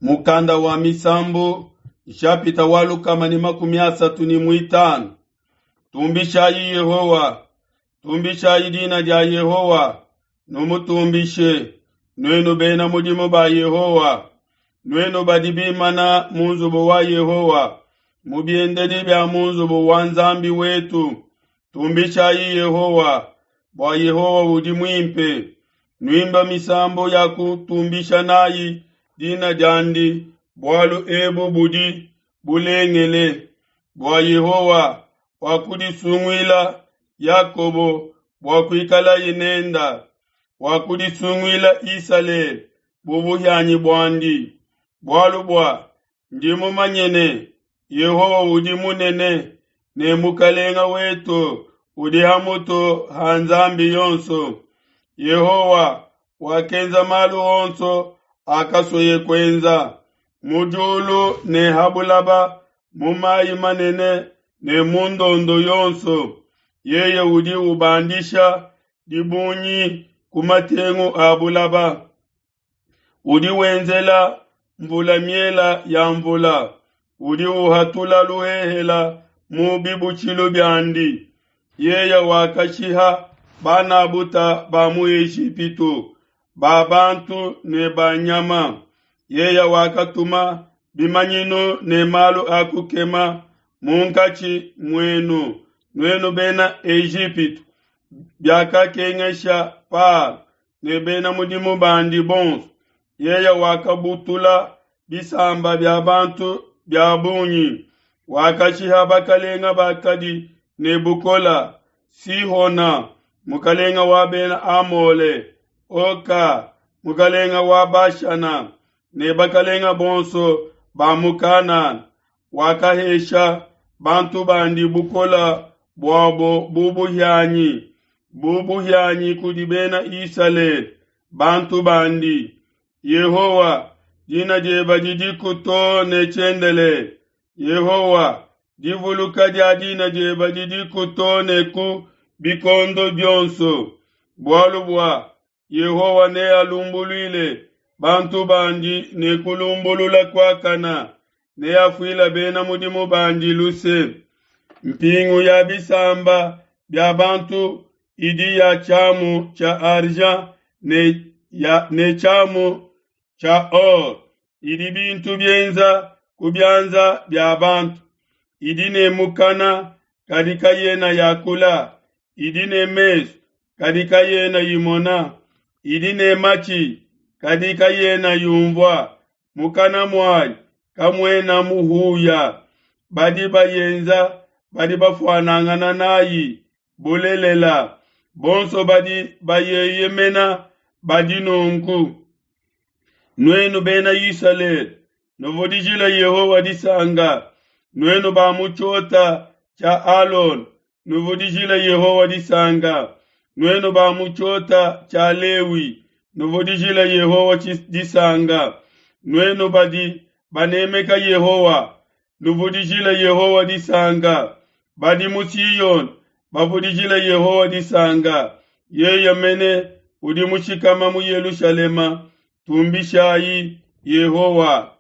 Mukanda wa Misambu, nshapita wa 135. Tumbishayi Yehowa, tumbishayi dina dia Yehowa, numutumbishe, nuenu bena mudimu ba Yehowa, nuenu badi bimana mu nzubu wa Yehowa, mu biendedi bia mu nzubu wa Nzambi wetu. Tumbishayi Yehowa, bua Yehowa udi muimpe. Nuimba misambu ya kutumbisha nayi dina diandi, bualu ebu budi bulengele. Bua Yehowa wakudisunguila Yakobo bua kuikalaye nenda, wakudisunguila Isalele bu buhianyi buandi. Bualu bua ndi mumanye ne, Yehowa udi munene, ne Mukalenga wetu udi ha mutu ha nzambi yonso. Yehowa wakenza malu onso akasueye kuenza, mu diulu ne ha bulaba, mu mayi manene ne mu ndondo yonso. Yeye udi ubandisha dibungi ku matengu a bulaba. Udi wenzela mvula miela ya mvula, udi uhatula luhehela mu bibutshilu biandi. Yeye wakashiha banabuta ba mu Ejipitu, ba bantu ne ba nyama. Yeye wakatuma bimanyinu ne malu a kukema munkatshi muenu, nuenu bena Ejipitu, biakakengesha Palo ne bena mudimu bandi bonso. Yeye wakabutula bisamba bia bantu bia bungi, wakashiha bakalenga bakadi ne bukola, Sihona, mukalenga wa bena Amole, Oka, mukalenga wa Bashana, ne bakalenga bonso ba mu Kanana. Wakahesha bantu bandi bukola buabo bu buhianyi, bu buhianyi kudi bena Isalele, bantu bandi. Yehowa, dina diebe didiku too ne tshiendelele. Yehowa, divuluka dia dina diebe didiku too ne ku bikondo bionso. Bualu bua Yehowa nealumbuluile bantu bandi ne kulumbulula kuakana, neafuile bena mudimu bandi luse. Mpingu ya bisamba bia bantu idi ya tshiamu tshia argent ne, ya, ne tshiamu tshia or, idi bintu bienza ku bianza bia bantu, idi ne mukana kadi kayena yakula, idi ne mesu kadi kayena imona, idi ne matshi kadi kayena yumvua, mukana muayi kamuena muhuya. Badi bayenza badi bafuanangana nayi bulelela, bonso badi bayeyemena badi nunku. Nuenu bena Isalele, nuvudijile Yehowa disanka. Nuenu ba mu tshiota tshia Alona, nuvudijile Yehowa disanka. Nuenu ba mu tshiota tshia Lewi, nuvudijile Yehowa disanka. Nuenu badi banemeka Yehowa, nuvudijile Yehowa disanka. Badi mu Siyone bavudijile Yehowa disanka. Yeye mene udi mushikama mu Yelushalema, tumbishayi Yehowa.